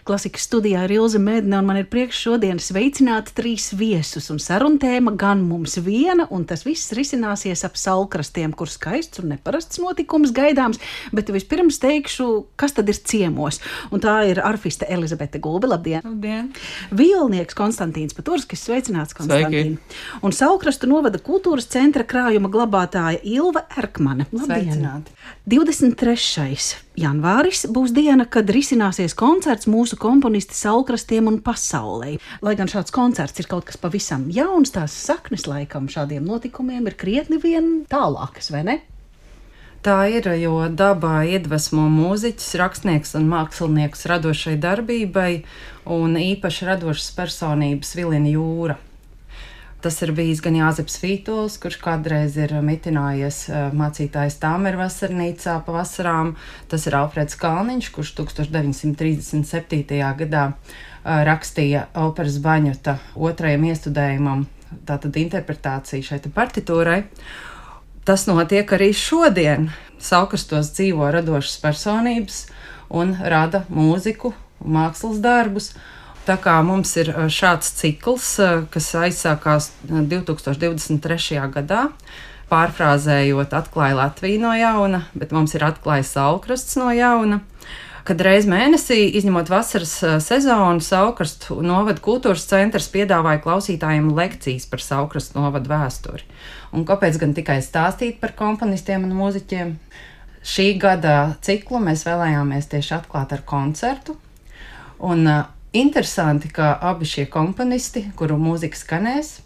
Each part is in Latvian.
Klasikas studijā ir Ilze Medne, un man ir prieks šodien sveicināt 3 viesus, un saruna tēma gan mums viena, un tas viss risināsies ap Saulkrastiem, kur skaists un neparasts notikums gaidāms, bet vispirms teikšu, kas tad ir ciemos. Un tā ir arfiste Elizabete Gulbe, labdien! Labdien! Violnieks Konstantīns Paturskis, sveicināts, Konstantīn! Un Saulkrastu novada kultūras centra krājuma glabātāja Ilva Erkmane. Labdien! Sveicināti! 23. janvāris būs diena, kad risināsies koncerts mūsu komponisti Saulkrastiem un pasaulē. Lai gan šāds koncerts ir kaut kas pavisam jauns, tās saknes laikam šādiem notikumiem ir krietni vien tālākas, vai ne? Tā ir, jo dabā iedvesmo mūziķus, rakstnieks un mākslinieks radošai darbībai un īpaši radošas personības Vilina Jūra. Tas ir bijis gan Jāzeps Vītols, kurš kādreiz ir mitinājies mācītājs Tāmeru vasarnīcā pa vasarām. Tas ir Alfreds Kalniņš, kurš 1937. gadā rakstīja operas Baņota 2. iestudējumam, tātad interpretāciju šai partitūrai. Tas notiek arī šodien. Saulkrastos dzīvo radošas personības un rada mūziku, mākslas darbus. Tā kā mums ir šāds cikls, kas aizsākās 2023. gadā, pārfrāzējot atklāja Latviju no jauna, bet mums ir atklāja Saulkrasts no jauna, kad reiz mēnesī, izņemot vasaras sezonu, Saulkrastu novada kultūras centrs piedāvāja klausītājiem lekcijas par Saulkrastu novadu vēsturi. Un kāpēc gan tikai stāstīt par komponistiem un mūziķiem? Šī gada ciklu mēs vēlējāmies tieši atklāt ar koncertu. Un interesanti, ka abi šie komponisti, kuru mūzika skanēs,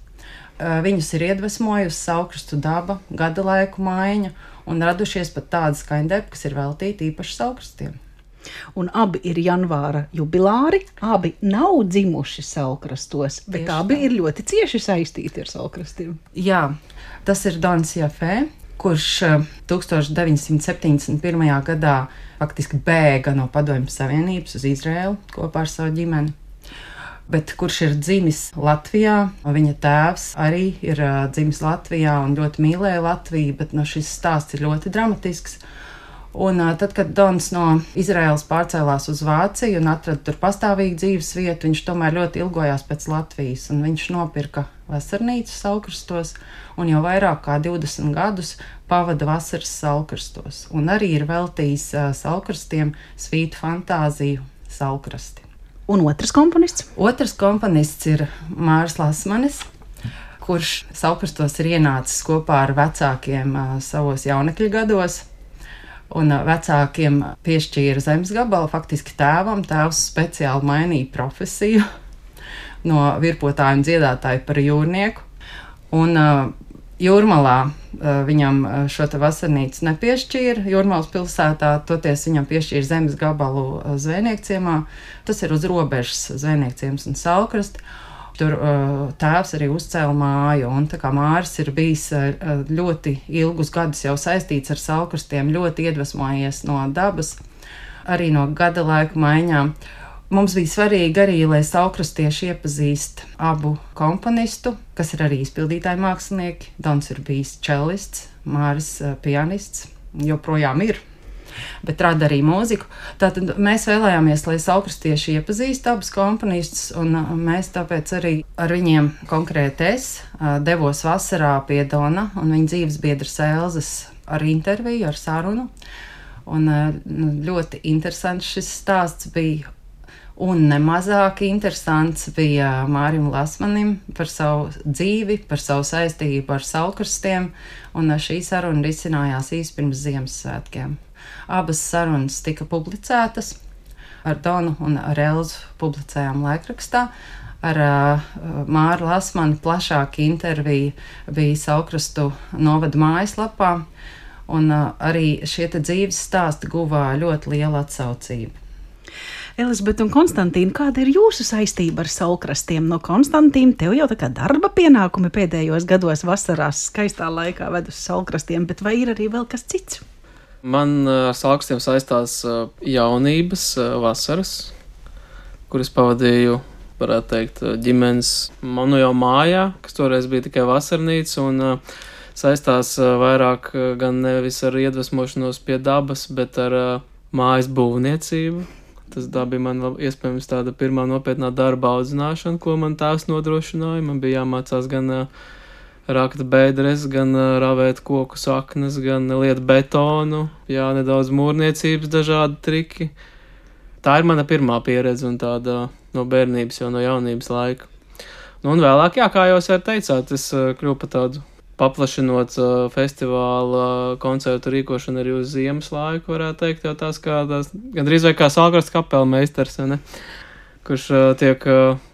viņus ir iedvesmojusi Saulkrastu daba, gada laiku maiņa un radušies pat tādi skaņdarbi, kas ir veltīti īpaši Saulkrastiem. Un abi ir janvāra jubilāri, abi nav dzimuši Saulkrastos, bet tieši abi ir ļoti cieši saistīti ar Saulkrastiem. Jā, tas ir Dons Jafē, kurš 1971. gadā faktiski bēga no Padomju Savienības uz Izraēlu kopā ar savu ģimeni, bet kurš ir dzimis Latvijā. Viņa tēvs arī ir dzimis Latvijā un ļoti mīlēja Latviju, bet šis stāsts ir ļoti dramatisks. Un tad, kad Dons no Izraēlas pārcēlās uz Vāciju un atrada tur pastāvīgu dzīves vietu, viņš tomēr ļoti ilgojās pēc Latvijas, un viņš nopirka vasarnīcu Saulkrastos, un jau vairāk kā 20 gadus pavada vasaras Saulkrastos, un arī ir veltījis Saulkrastiem svītu fantāziju Saulkrasti. Un otrs komponists? Otrs komponists ir Māris Lasmanis, kurš Saulkrastos ir ienācis kopā ar vecākiem savos jaunekļu gados. Un vecākiem piešķīra zemes gabalu, faktiski tēvam. Tēvs speciāli mainīja profesiju no virpotāja un dziedātāja par jūrnieku. Un Jūrmalā viņam šo te vasarnīcu nepiešķīra. Jūrmalas pilsētā toties viņam piešķīra zemes gabalu Zvejniekciemā. Tas ir uz robežas Zvejniekciems un Saulkrasti. Tur tēvs arī uzcēla māju, un tā kā Māris ir bijis ļoti ilgus gadus jau saistīts ar Saulkrastiem, ļoti iedvesmojies no dabas, arī no gada laika maiņām. Mums bija svarīgi arī, lai saulkrastieši iepazīst abu komponistu, kas ir arī izpildītāji mākslinieki. Dons ir bijis čelists, Māris pianists, joprojām ir, bet rada arī mūziku. Tātad mēs vēlējāmies, lai saulkrastieši iepazīst abus komponistus, un mēs tāpēc arī ar viņiem konkrēti devos vasarā pie Dona un viņa dzīves biedras Elzes ar interviju, ar sarunu. Un ļoti interesants šis stāsts bija, un nemazāk interesants bija Mārim Lasmanim par savu dzīvi, par savu saistību ar Saulkrastiem, un šī saruna risinājās īsi pirms Ziemassvētkiem. Abas sarunas tika publicētas, ar Donu un ar Elzu publicējām laikrakstā. Ar Māru Lasmanu plašāka intervija bija Saulkrastu novada mājaslapā, un arī šie te dzīves stāsti guva ļoti lielu atsaucību. Elizabete un Konstantīna, kāda ir jūsu saistība ar Saulkrastiem? No Konstantīna, tev jau tā kā darba pienākumi pēdējos gados vasarās skaistā laikā ved uz Saulkrastiem, bet vai ir arī vēl kas cits? Man ar Saulkrastiem saistās jaunības vasaras, kuras pavadīju, varētu teikt, ģimenes manu jau mājā, kas toreiz bija tikai vasarnīca, un saistās vairāk gan nevis ar iedvesmošanos pie dabas, bet ar mājas būvniecību. Tā bija man iespējams tāda pirmā nopietnā darba audzināšana, ko man tēvs nodrošināja. Man bija jāmācās gan rakt bedres, gan ravēt koku saknes, gan liet betonu, nedaudz mūrniecības dažādi triki. Tā ir mana pirmā pieredze un tāda no bērnības, jau no jaunības laika. Un vēlāk, kā jūs arī teicāt, es kļuvu par tādu paplašinot festivāla koncertu rīkošanu arī uz ziemas laiku, varētu teikt, jau tās gandrīz vai kā Salkrastu kapela meistars, ne? Kurš tiek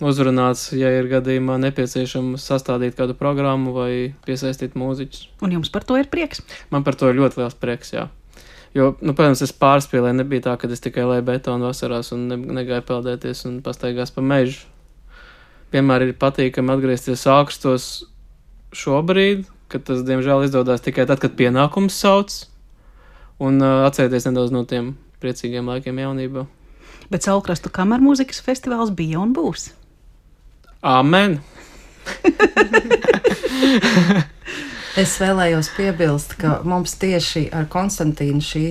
uzrunāts, ja ir gadījumā nepieciešams sastādīt kādu programmu vai piesaistīt mūziķus. Un jums par to ir prieks? Man par to ir ļoti liels prieks, jā. Jo, protams, es pārspīlēju, nebija tā, ka es tikai lēju betonu vasarās un negāju peldēties un pastaigās pa mežu. Vienmēr ir patīkami atgriezties Salkrastos šobrīd, kad tas, diemžēl, izdodas tikai tad, kad pienākums sauc, un atcerēties nedaudz no tiem priecīgiem laikiem jaunībā. Bet Salkrastu kamermūzikas festivāls bija un būs. Amen! Es vēlējos piebilst, ka mums tieši ar Konstantīnu šī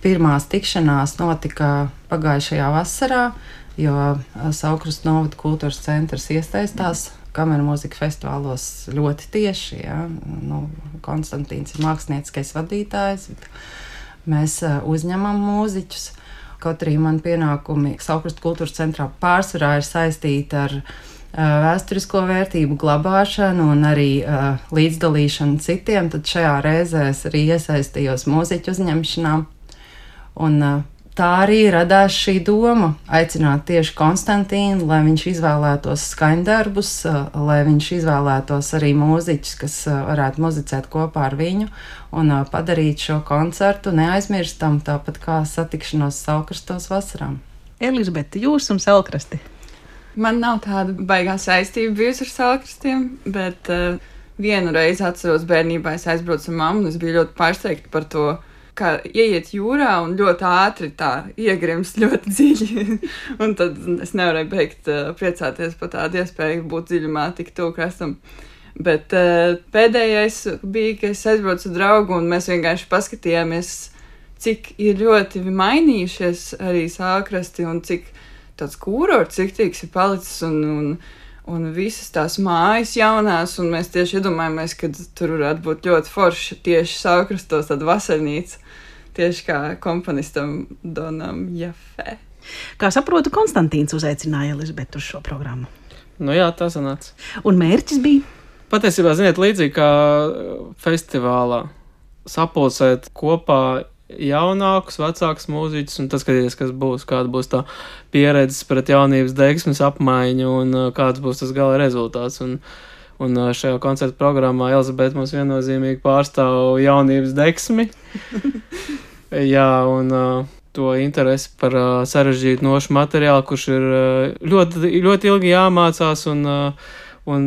pirmās tikšanās notika pagājušajā vasarā, jo Salkrastu novada kultūras centrs iesaistās kamermūzika festivālos ļoti tieši. Ja? Konstantīns ir mākslinieckais vadītājs, mēs uzņemam mūziķus. Kaut arī man pienākumi Salkrastu kultūras centrā pārsvarā ir saistīti ar vēsturisko vērtību glabāšanu un arī līdzdalīšanu citiem, tad šajā reizē es arī iesaistījos mūziķu uzņemšanā. Un tā arī radās šī doma aicināt tieši Konstantīnu, lai viņš izvēlētos skaņdarbus, lai viņš izvēlētos arī mūziķus, kas varētu muzicēt kopā ar viņu un padarīt šo koncertu neaizmirstam, tāpat kā satikšanos Salkrastos vasarām. Elizabete, jūs un Salkrasti? Man nav tāda baigā saistība bijusi ar Salkrastiem, bet vienu reizi atceros bērnībā, es aizbraucu ar mammu un es biju ļoti pārsteigta par to, kā ieiet jūrā un ļoti ātri tā iegrimst ļoti dziļi. Un tad es nevarēju beigt priecāties par tādu iespēju būt dziļumā tik tuvu krastam. Bet pēdējais bija, ka es aizbraucu ar draugu un mēs vienkārši paskatījāmies, cik ir ļoti mainījušies arī Salkrasti un cik tāds kūrorts ciktīgs ir palicis un visas tās mājas jaunās, un mēs tieši iedomājamies, ka tur varētu būt ļoti forši tieši Salkrastos tāda vasarnīca, tieši kā komponistam Donam Jafē. Kā saprotu, Konstantīns uzaicināja Elizabetu uz šo programmu. Jā, tā sanāca. Un mērķis bija? Patiesībā, ziniet, līdzīgi kā festivālā sapulcēt kopā jaunākus, vecākus mūziķus un tas skatīties, kāda būs tā pieredzes pret jaunības degsmes apmaiņu un kāds būs tas gala rezultāts. Un šajā koncerta programmā Elizabete mums viennozīmīgi pārstāv jaunības degsmi. Jā, un to interesi par sarežģītu nošu materiālu, kurš ir ļoti, ļoti ilgi jāmācās un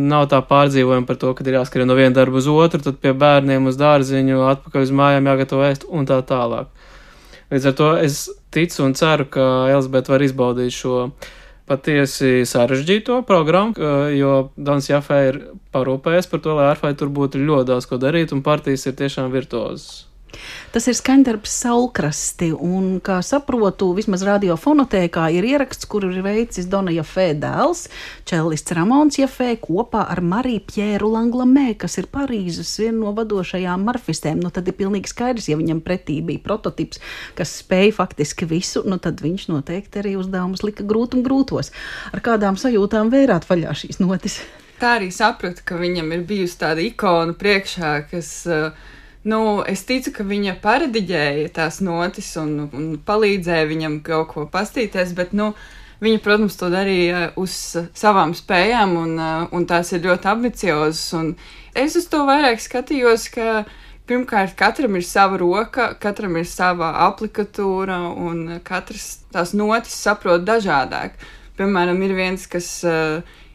nav tā pārdzīvojuma par to, kad ir jāskrien no viena darba uz otru, tad pie bērniem uz dārziņu, atpakaļ uz mājām jāgatavo ēst un tā tālāk. Līdz ar to es ticu un ceru, ka Elizabete var izbaudīt šo patiesi sarežģīto programmu, jo Dons Jafē ir parūpējies par to, lai Arfai tur būtu ļoti daudz ko darīt un partijas ir tiešām virtuozas. Tas ir skaņdarbs Salkrasti, un, kā saprotu, vismaz radiofonotēkā ir ieraksts, kuru ir veicis Dona Jafē dēls, čellists Ramons Jafē, kopā ar Mariju Pjēru Langlamē, kas ir Parīzes viena no vadošajām marfistēm. Tad ir pilnīgi skaidrs, ja viņam pretī bija prototips, kas spēja faktiski visu, tad viņš noteikti arī uzdevumus lika grūtos. Ar kādām sajūtām vērāt vaļā šīs notis? Tā arī sapratu, ka viņam ir bijusi tāda ikona priekšā, kas... es ticu, ka viņa parediģēja tās notis un palīdzēja viņam kaut ko pastīties, bet, viņa, protams, to darīja uz savām spējām un tās ir ļoti ambiciozas. Un es uz to vairāk skatījos, ka pirmkārt katram ir sava roka, katram ir sava aplikatūra un katrs tās notis saprot dažādāk. Piemēram, ir viens, kas...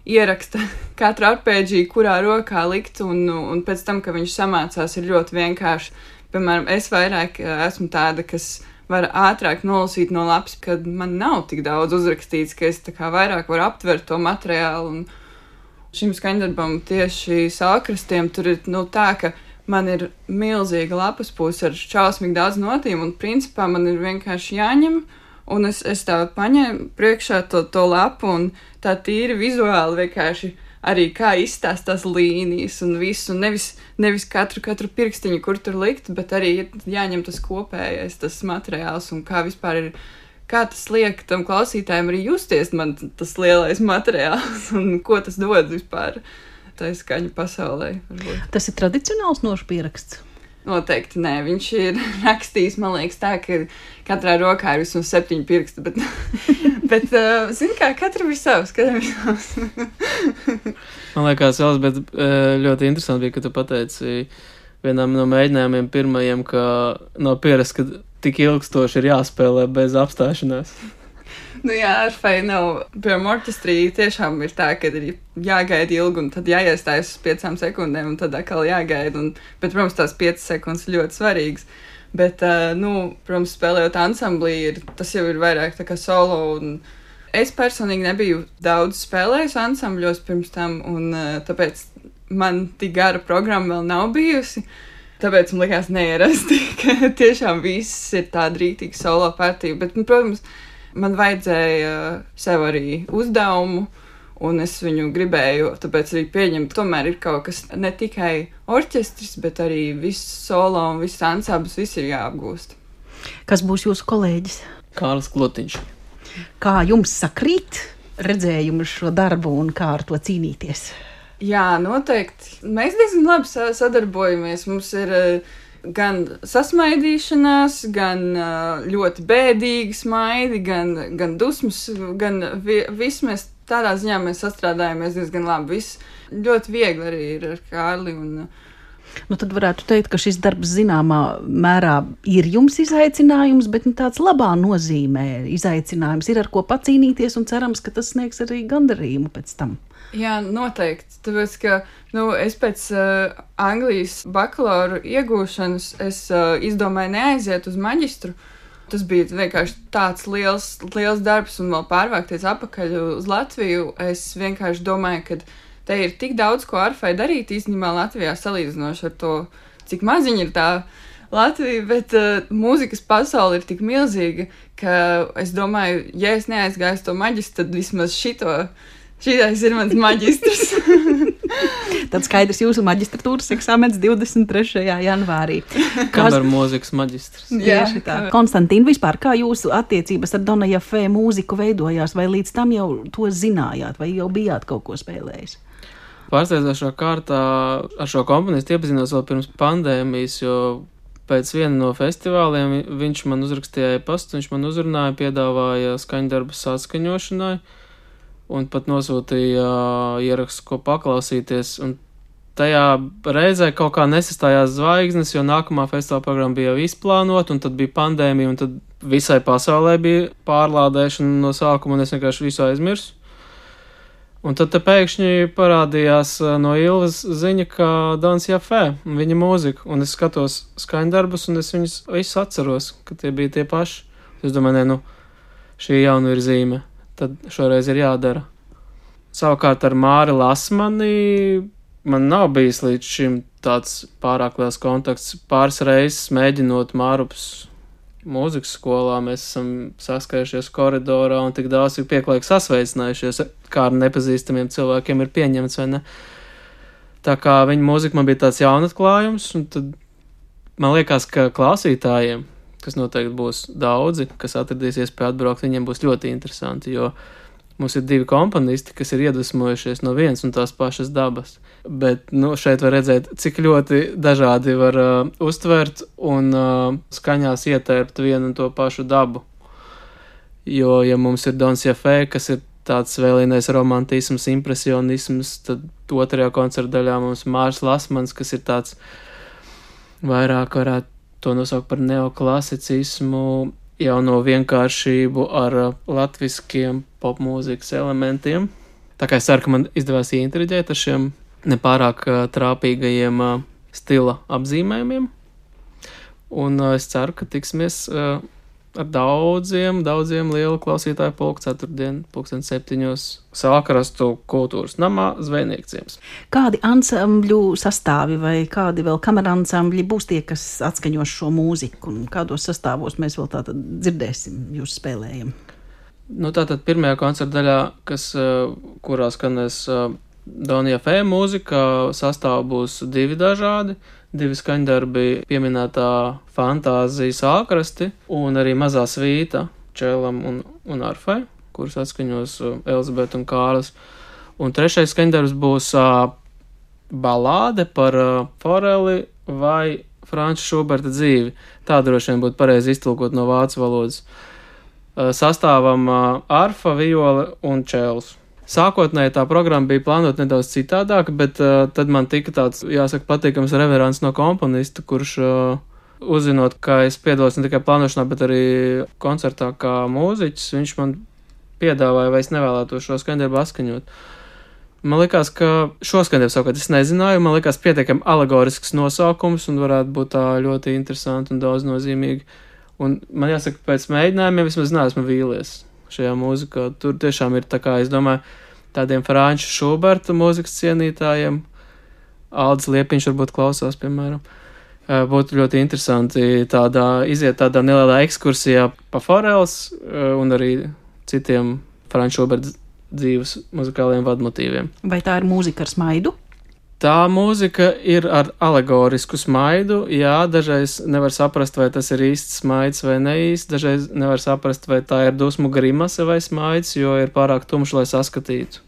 ieraksta katru arpēģiju, kurā rokā likt, un pēc tam, kad viņš samācās, ir ļoti vienkārši. Piemēram, es vairāk esmu tāda, kas var ātrāk nolasīt no lapas, kad man nav tik daudz uzrakstīts, ka es tā kā vairāk varu aptvert to materiālu. Un šim skaņdarbam tieši Salkrastiem tur ir tā, ka man ir milzīga lapas puse ar šausmīgi daudz notīm, un principā man ir vienkārši jāņem Un es tā paņēmu priekšā to lapu un tā tīri vizuāli vienkārši arī kā izstāstās līnijas un visu, nevis katru pirkstiņu, kur tur likt, bet arī jāņem tas kopējais, tas materiāls un kā vispār ir, kā tas liek tam klausītājiem arī justies man tas lielais materiāls un ko tas dod vispār tai skaņu pasaulē. Varbūt. Tas ir tradicionāls nošu pieraksts? Noteikti nē, viņš ir rakstījis, man liekas, tā, ka katrā rokā ir vismaz 7 pirksti, bet zini kā, katram ir savs. Man liekas, bet ļoti interesanti bija, ka tu pateici vienam no mēģinājumiem pirmajiem, ka nav pierasts, ka tik ilgstoši ir jāspēlē bez apstāšanās. Nu jā, arfai nav, piemēram, orķestrī tiešām ir tā, ka ir jāgaida ilgi un tad jāiestājas uz 5 sekundēm un tad atkal jāgaida. Bet, protams, tās 5 sekundes ir ļoti svarīgas. Bet, protams, spēlējot ansamblī, tas jau ir vairāk tā kā solo. Un es personīgi nebiju daudz spēlējis ansambļos pirms tam, un tāpēc man tik gara programma vēl nav bijusi. Tāpēc man likās neierasti, ka tiešām viss ir tāda rītīga solo partija. Bet, protams, man vajadzēja sev arī uzdevumu, un es viņu gribēju, tāpēc arī pieņemt. Tomēr ir kaut kas ne tikai orķestris, bet arī viss solo un viss ansamblis, viss ir jāapgūst. Kas būs jūsu kolēģis? Kārlis Klotiņš. Kā jums sakrīt redzējumu uz šo darbu un kā ar to cīnīties? Jā, noteikti. Mēs diezgan labi sadarbojamies. Mums ir gan sasmaidīšanās, gan ļoti bēdīgi smaidi, gan dusmas, gan viss mēs tādā ziņā mēs sastrādājamies diezgan labi. Viss ļoti viegli arī ir ar Kārli. Nu, tad varētu teikt, ka šis darbs zināmā mērā ir jums izaicinājums, bet tāds labā nozīmē izaicinājums ir ar ko pacīnīties un cerams, ka tas sniegs arī gandarījumu pēc tam. Jā, noteikti. Tāpēc, ka es pēc Anglijas bakalaura iegūšanas izdomāju neaiziet uz maģistru. Tas bija vienkārši tāds liels darbs un vēl pārvākties atpakaļ uz Latviju. Es vienkārši domāju, ka te ir tik daudz, ko arfai darīt īstenībā Latvijā salīdzinoši ar to, cik maziņa ir tā Latvija, bet mūzikas pasaule ir tik milzīga, ka es domāju, ja es neaizgāju to maģistru, tad vismaz šitais ir mans maģistrs. Tad skaidrs jūsu maģistratūras eksāmens 23. janvārī. Kamera mūzikas maģistrs. Jā, tā. Konstantīna, vispār kā jūsu attiecības ar Dona Jafē mūziku veidojās, vai līdz tam jau to zinājāt, vai jau bijāt kaut ko spēlējis? Pārsteidzošā kārtā ar šo komponistu iepazinos vēl pirms pandēmijas, jo pēc viena no festivāliem viņš man uzrakstīja e-pastu, viņš man uzrunāja, piedāvāja skaņdarbus atskaņošanai. Un pat nosūtīja ierakstu, ko paklausīties. Un tajā reizē kaut kā nesastājās zvaigznes, jo nākamā festivāla programma bija jau izplānota, un tad bija pandēmija, un tad visai pasaulē bija pārlādēšana no sākuma, un es vienkārši visu aizmirsu. Un tad te pēkšņi parādījās no Ilvas ziņa, ka Dons Jafē, viņa mūzika, un es skatos skaņdarbus, un es viņus visus atceros, ka tie bija tie paši. Es domāju, šī jaunu ir zīme. Tad šoreiz ir jādara. Savukārt ar Māri Lasmani man nav bijis līdz šim tāds pārāk liels kontakts. Pāris reizes mēģinot Mārupas mūzikas skolā, mēs esam saskajušies koridorā un tik daudz ir pieklājīgi sasveicinājušies, kā ar nepazīstamiem cilvēkiem ir pieņemts, vai ne? Tā kā viņa mūzika man bija tāds jaunatklājums, un tad man liekas, ka klausītājiem, kas noteikti būs daudzi, kas atradīsies pie atbraukt, viņiem būs ļoti interesanti, jo mums ir 2 komponisti, kas ir iedvesmojušies no vienas un tās pašas dabas. Bet, šeit var redzēt, cik ļoti dažādi var uztvert un skaņās ietērpt vienu un to pašu dabu. Jo, ja mums ir Dons Jafē, kas ir tāds vēlīnais romantisms, impresionisms, tad otrajā koncerta daļā mums Māris Lasmans, kas ir tāds vairāk varētu to nosaukt par neoklasicismu, jauno vienkāršību ar latviskiem popmūzikas elementiem. Tā kā es ceru, ka man izdevās ieintriģēt ar šiem nepārāk trāpīgajiem stila apzīmējumiem. Un es ceru, ka tiksimies ar daudziem lielu klausītāju pulku ceturtdien, 7:00 Salkrastu kultūras namā Zvejnieku ciems. Kādi ansambļu sastāvi vai kādi vēl kameransambļi būs tie, kas atskaņos šo mūziku, un kādos sastāvos mēs vēl tātad dzirdēsim jūs spēlējam? Tātad pirmajā koncerta daļā, kurā skanēs Donija Fē mūzika, sastāvi būs 2 dažādi. 2 skaņdarbi pieminētā Fantāzija Salkrasti un arī Mazā svīta čēlam un arfai, kuras atskaņos Elizabete un Kārlis. Un 3. skaņdarbs būs balāde par Foreli vai Franča Šuberta dzīvi. Tā droši vien būtu pareizi iztulkot no vācu valodas. Sastāvam arfa, viola un čēls. Sākotnēji tā programma bija plānota nedaudz citādāk, bet tad man tika tāds, jāsaka, patīkams reverants no komponista, kurš uzzinot, ka es piedalos ne tikai plānošanā, bet arī koncertā kā mūziķis, viņš man piedāvāja, vai es nevēlētos šo skaņdarbu atskaņot. Man likās, ka šo skaņdarbu savukārt es nezināju, man likās pietiekami alegorisks nosaukums un varētu būt tā ļoti interesanti un daudznozīmīgi. Un man jāsaka, pēc mēģinājumiem vismaz neesmu vīlies šajā mūzikā. Tur tiešām ir tā kā, es domāju, tādiem Franča Šuberta mūzikas cienītājiem, Aldis Liepiņš varbūt klausās, piemēram. Būtu ļoti interesanti iziet tādā nelielā ekskursijā pa Foreles un arī citiem Franča Šuberta dzīves muzikāliem vadmotīviem. Vai tā ir mūzika ar smaidu? Tā mūzika ir ar alegorisku smaidu, jā, dažreiz nevar saprast, vai tas ir īsts smaids vai neīsts, dažreiz nevar saprast, vai tā ir dusmu grimase vai smaids, jo ir pārāk tumšs, lai saskatītu.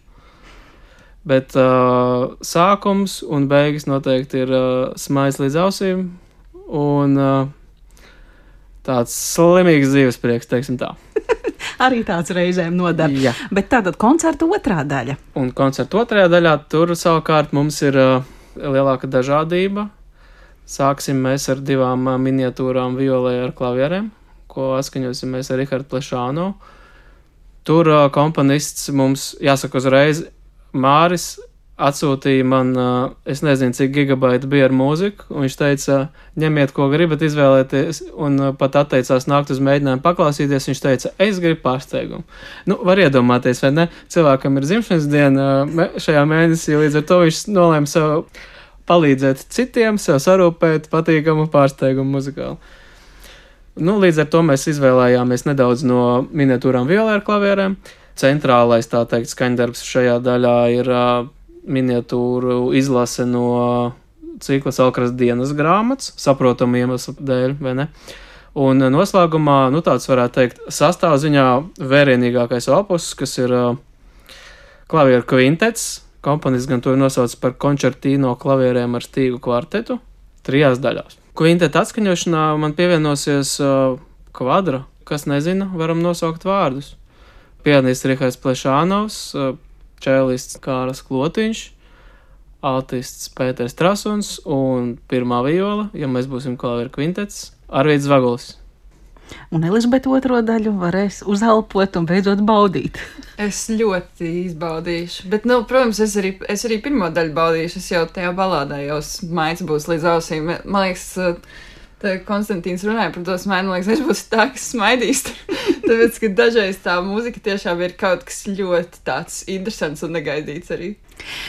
Bet sākums un beigas noteikti ir smaids līdz ausīm un tāds slimīgs dzīvesprieks, teiksim tā. Arī tāds reizēm nodara. Jā. Bet tātad koncerta otrā daļa. Un koncerta otrajā daļā tur savukārt mums ir lielāka dažādība. Sāksim mēs ar 2 miniatūrām violē ar klavierēm, ko atskaņosim mēs ar Rihardu Plešānu. Tur komponists mums, jāsaka uzreiz, Māris atsūtīja man, es nezinu, cik gigabaiti bija ar mūziku, un viņš teica, ņemiet, ko gribat izvēlēties, un pat atteicās nākt uz mēģinājumu paklausīties, viņš teica, es gribu pārsteigumu. Var iedomāties, vai ne? Cilvēkam ir dzimšanas diena šajā mēnesī, līdz ar to viņš nolēma sev palīdzēt citiem, sev sarūpēt patīkamu pārsteigumu muzikāli. Līdz ar to mēs izvēlējāmies nedaudz no miniatūrām violē ar klavierēm. Centrālais, tā teikt, skaņdarbs šajā daļā ir miniatūru izlase no cikla Salkrasta dienas grāmatas, saprotamu iemeslu dēļ, vai ne? Un noslēgumā, tāds varētu teikt, sastāvziņā vērienīgākais opus, kas ir klavieru kvintets, komponists gan to nosauc par koncertīno klavierēm ar stīgu kvartetu, 3 daļās. Kvinteta atskaņošanā man pievienosies kvadra, kas nezina, varam nosaukt vārdus. Pianists Rihards Plešānovs, čēlists Kārlis Klotiņš, altists Pēters Trasuns un pirmā viola, ja mēs būsim klavieru kvintets, Arvīds Zvagulis. Un Elizabete otro daļu varēs uzelpot un beidzot baudīt. Es ļoti izbaudīšu, bet, protams, es arī pirmo daļu baudīšu, es jau tajā balādā jau smaids būs līdz ausīm. Man liekas, Konstantīns runāja par to smaidu, man liekas, es būšu tā, kas smaidīs. Tāpēc, ka dažreiz tā mūzika tiešām ir kaut kas ļoti tāds interesants un negaidīts arī.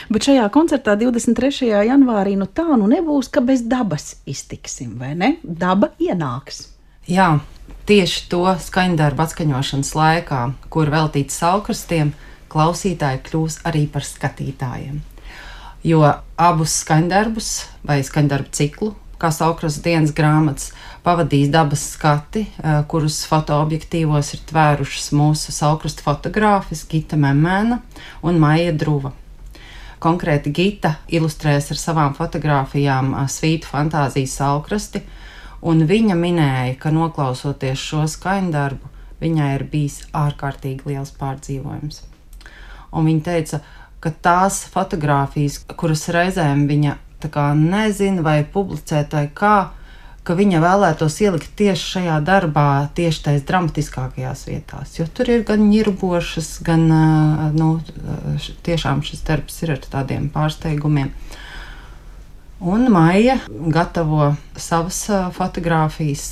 Bet šajā koncertā 23. janvārī tā nebūs, ka bez dabas iztiksim, vai ne? Daba ienāks. Jā, tieši to skaņdarbu atskaņošanas laikā, kur veltīts Salkrastiem, klausītāji kļūs arī par skatītājiem. Jo abus skaņdarbus vai skaņdarbu ciklu, kā Salkrasta dienas grāmatas, pavadīs dabas skati, kurus fotoobjektīvos ir tvērušas mūsu Salkrasta fotogrāfis Gita Memēna un Maija Druva. Konkrēti Gita ilustrēs ar savām fotogrāfijām svītu Fantāziju Salkrasti, un viņa minēja, ka noklausoties šo skaņdarbu, viņai ir bijis ārkārtīgi liels pārdzīvojums. Un viņa teica, ka tās fotogrāfijas, kuras reizēm viņa tā kā nezina vai publicēt vai kā, ka viņa vēlētos ielikt tieši šajā darbā, tieši tais dramatiskākajās vietās, jo tur ir gan ņirbošas, gan, tiešām šis darbs ir ar tādiem pārsteigumiem. Un Maija gatavo savas fotogrāfijas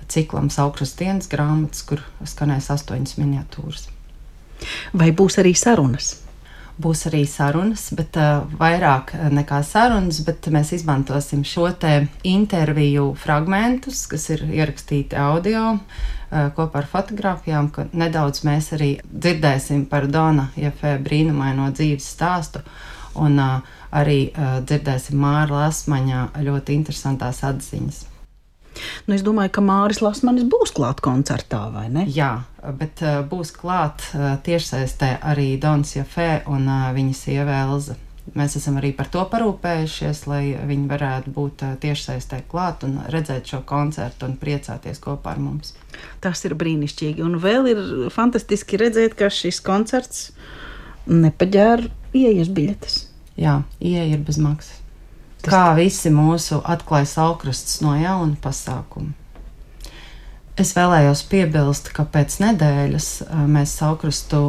ciklam Saulkrastu dienas grāmatas, kur skanēs 8 miniatūras. Vai būs arī sarunas? Būs arī sarunas, bet vairāk nekā sarunas, bet mēs izmantosim šo te interviju fragmentus, kas ir ierakstīti audio kopā ar fotogrāfijām, ka nedaudz mēs arī dzirdēsim par Dona Jefē brīnumaino dzīves stāstu, un arī dzirdēsim Māra Lasmaņa ļoti interesantās atziņas. Nu, es domāju, ka Māris Lasmanis būs klāt koncertā, vai ne? Jā, bet būs klāt tiešsaistē arī Dons Jefē un viņa sieva Elza. Mēs esam arī par to parūpējušies, lai viņi varētu būt tiešsaistē klāt un redzēt šo koncertu un priecāties kopā ar mums. Tas ir brīnišķīgi. Un vēl ir fantastiski redzēt, ka šis koncerts nepaģēra ieejas biļetes. Jā, ieeja ir bez maksas. Kā visi mūsu atklāja Saulkrasts no jauna pasākumu. Es vēlējos piebilst, ka pēc nedēļas mēs Saulkrastu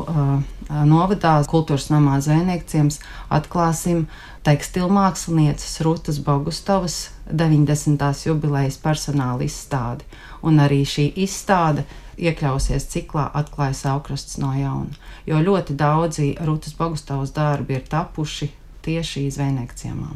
novadā Kultūras namā Zvejniekciems atklāsim tekstilmākslinieces Rutas Bogustovas 90. jubilejas personāla izstādi. Un arī šī izstāde iekļausies ciklā Atklāja Saulkrasts no jauna, jo ļoti daudzi Rutas Bogustovas darbi ir tapuši tieši Zvejniekciemā.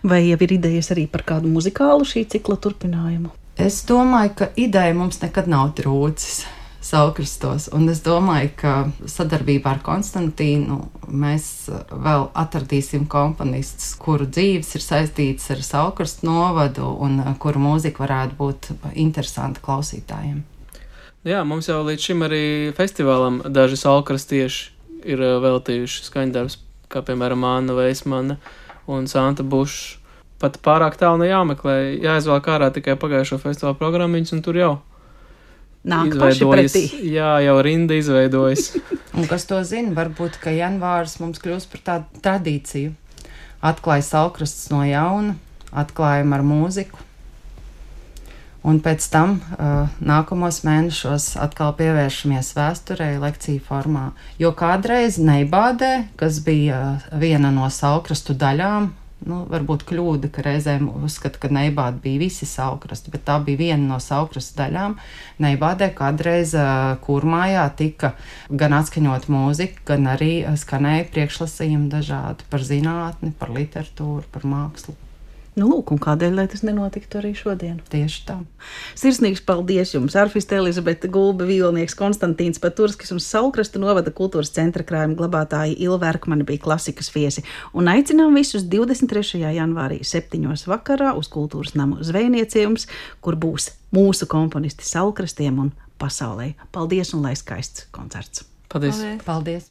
Vai jau ir idejas arī par kādu muzikālu šī cikla turpinājumu? Es domāju, ka ideja mums nekad nav trūcis Saulkrastos, un es domāju, ka sadarbībā ar Konstantīnu mēs vēl atradīsim komponistus, kuru dzīves ir saistītas ar Saulkrastu novadu un kuru mūzika varētu būt interesanta klausītājiem. Jā, mums jau līdz šim arī festivālam daži saulkrastieši ir veltījuši skaņdarbus, kā piemēram Anna Veismana un Santa Bušs. Pat pārāk tālu jāmeklē, jāizvēl ārā tikai pagājušo festivālu programmiņas, un tur jau nāk paši pretī. Jā, jau rinda izveidojas. Un kas to zina, varbūt, ka janvārs mums kļūs par tādu tradīciju. Atklāja Saulkrasts no jauna, atklājam ar mūziku. Un pēc tam nākamos mēnešos atkal pievēršamies vēsturei lekciju formā. Jo kādreiz Neibādē, kas bija viena no Saulkrastu daļām, varbūt kļūda, ka reizēm uzskata, ka Neibāde bija visi Saulkrasti, bet tā bija viena no Saulkrastu daļām. Neibādē kādreiz Kurmājā tika gan atskaņot mūziku, gan arī skanēja priekšlasījumi dažādi par zinātni, par literatūru, par mākslu. Nu, lūk, un kādēļ, lai tas nenotiktu arī šodien? Tieši tā. Sirsnīgs paldies jums, arfiste Elizabete Gulbe, vīlnieks Konstantīns Paturskis un Saulkrastu novada kultūras centra krājuma glabātāji Ilva Erkmane bija klasikas viesi. Un aicinām visus 23. janvārī 7. vakarā uz Kultūras namu Zvejniekciemos, kur būs mūsu komponisti Saulkrastiem un pasaulē. Paldies un lai skaists koncerts! Paldies! Paldies!